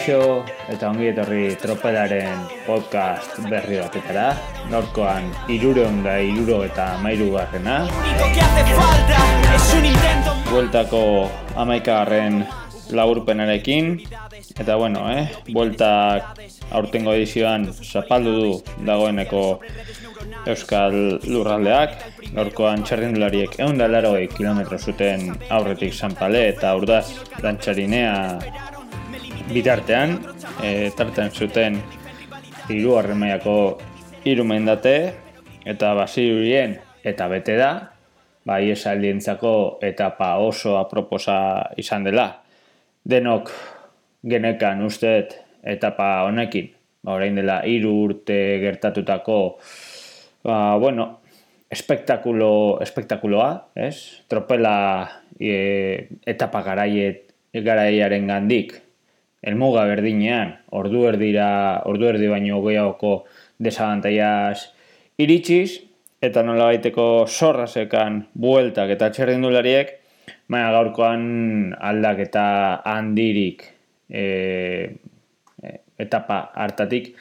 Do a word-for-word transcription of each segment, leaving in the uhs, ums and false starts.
Kaixo eta ongi etorri Tropelaren podcast berri batetara. Gaurkoan hirurehun eta hirurogeita hamairugarrena. Bueltako hamaikagarren laburpenarekin. Eta bueno, eh, bueltak aurtengo edizioan zapaldu du dagoeneko Euskal Lurraldeak. Gaurkoan txarrindulariek ehun eta laurogei kilometro zuten aurretik Sanpale eta Urdaz Dantxarinea bitartean, e, tartean zuten hirugarren mailako hiru mendate eta Basirurien eta bete da, ba iesaldientzako etapa oso aproposa izan dela. Denok genekan usteet etapa honekin, ba orain dela hiru urte gertatutako ba bueno, espektakulo espektakuloa, ez? Tropela e, etapa garaiet garaiaren gandik helmuga berdinean, ordu erdira, ordu erdi baino gehiagoko desabantaiaz iritsiz, eta nolabaiteko zorrasekan bueltak eta txerrindulariek, baina gaurkoan aldaketa handirik e, etapa hartatik,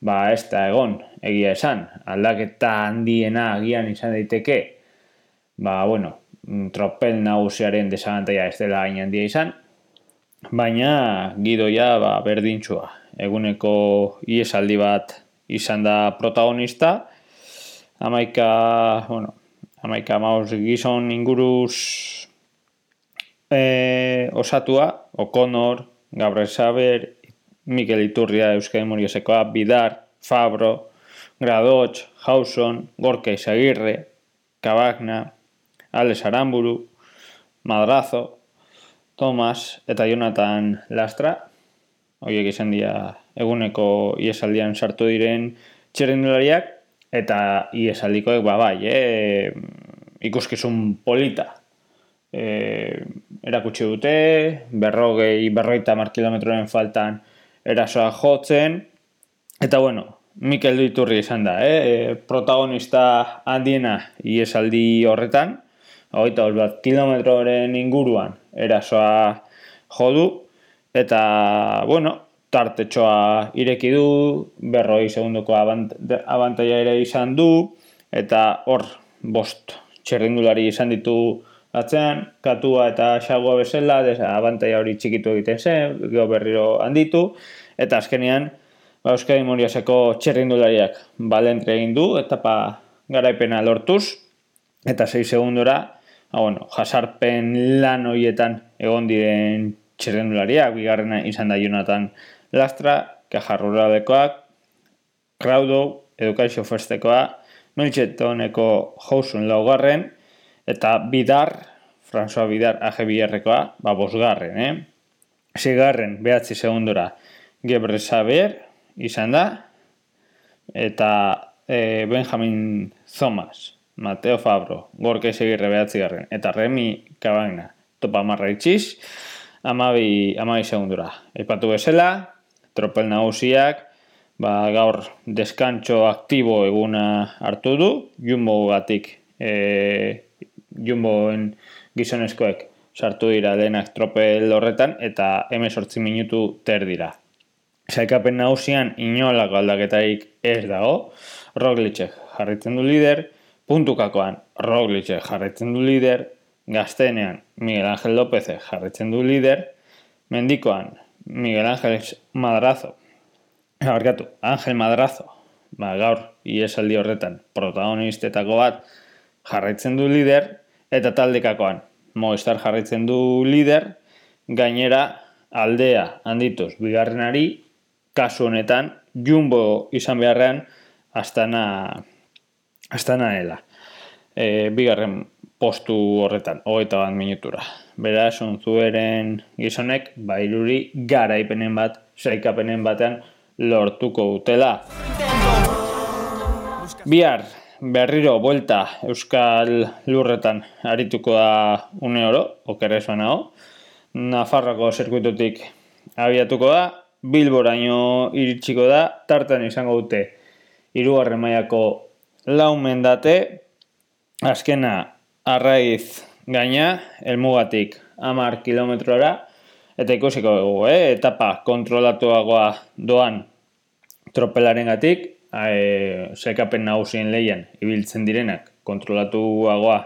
ba ez da egon, egia esan, aldaketa handiena agian izan daiteke, ba bueno, tropel nagusiaren desabantaia ez dela hain handia izan, baina gidoia ba, berdintxua. Eguneko iesaldi bat izan da protagonista. Hamaika, bueno, hamaika maus gizon inguruz e, osatua, O'Connor, Gabriel Saber, Mikel Iturria, Euskadi Muriesekoa, Bidar, Fabro, Gradoch, Hauson, Gorka Izagirre, Kabagna, Alex Aramburu, Madrazo, Thomas eta Jonathan Lastra, horiek izan dira eguneko iesaldian sartu diren txerrindulariak, eta iesaldikoek ba bai, eh, ikuskizun polita. Eh, erakutsi dute, berrogei, berrogeita hamar kilometroren faltan erasoa jotzen, eta bueno, Mikel Iturri izan da, eh, protagonista handiena iesaldi horretan, hogeita bat kilometroren inguruan erasoa jodu, eta, bueno, tartetxoa ireki du, berroi segundoko abant- abantaia ere izan du, eta hor, bost txerrindulari izan ditu atzean, Katua eta Xagua bezala, abantaia hori txikitu egiten zen, gero berriro handitu, eta azkenean, ba, Euskadi Muriaseko txerrindulariak balentre egin du, etapa garaipena lortuz, eta sei segundora, Ah, bueno, jasarpen lan horietan egon diren txerrendulariak, bigarrena izan da Jonathan Lastra, Caja Ruralekoak, Crowdow, Educacio Firstekoa, Milchetoneko Hauson laugarren, eta Bidar, François Bidar, A G Biarrekoa, ba, bosgarren, eh? Sigarren, behatzi segundora, Gebre Saber, izan da, eta eh, Benjamin Thomas, Mateo Fabro, Gorka Izagirre behatzigarren, eta Remi Kabagna, topa marra itxiz, amabi, amabi segundura. Aipatu bezala, tropel nagusiak, ba, gaur deskantxo aktibo eguna hartu du, Jumbo batik, e, Jumboen gizonezkoek sartu dira denak tropel horretan, eta hemezortzi minutu ter dira. Sailkapen nagusian inolako aldaketarik ez dago, Roglicek jarritzen du lider, puntukakoan Roglicek jarraitzen du lider, gaztenean Miguel Ángel López jarraitzen du lider, mendikoan Miguel Ángel Madrazo, barkatu, Ángel Madrazo, ba, gaur iesaldi horretan protagonistetako bat jarraitzen du lider, eta taldekakoan Movistar jarraitzen du lider, gainera aldea handituz bigarrenari, kasu honetan Jumbo izan beharrean Astana Astana dela. E, bigarren postu horretan, hogeita bat minutura. Beraz, ontzueren gizonek, bairuri garaipenen bat, sailkapenen batean lortuko dutela. Bihar, berriro, buelta, Euskal Lurretan arituko da une oro, okerrezuan hau. Nafarroako zirkuitutik abiatuko da, Bilboraino iritsiko da, tartan izango dute hirugarren mailako lau mendate, azkena Arraiz gaina, helmugatik hamar kilometrora, eta ikusiko dugu, eh? etapa kontrolatuagoa doan tropelarengatik, e, sailkapen nagusien lehian ibiltzen direnak kontrolatuagoa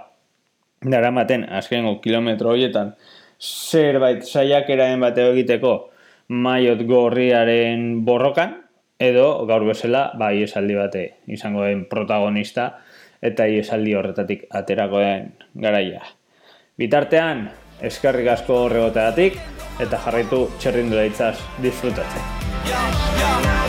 daramaten azkenengo kilometro horietan zerbait saiakeraen bateo egiteko maillot gorriaren borrokan, edo gaur bezala ba, iesaldi bate izango den protagonista eta iesaldi horretatik aterako den garaia. Bitartean, eskerrik asko horregoteagatik eta jarraitu txerrindulaitzaz disfrutatzen.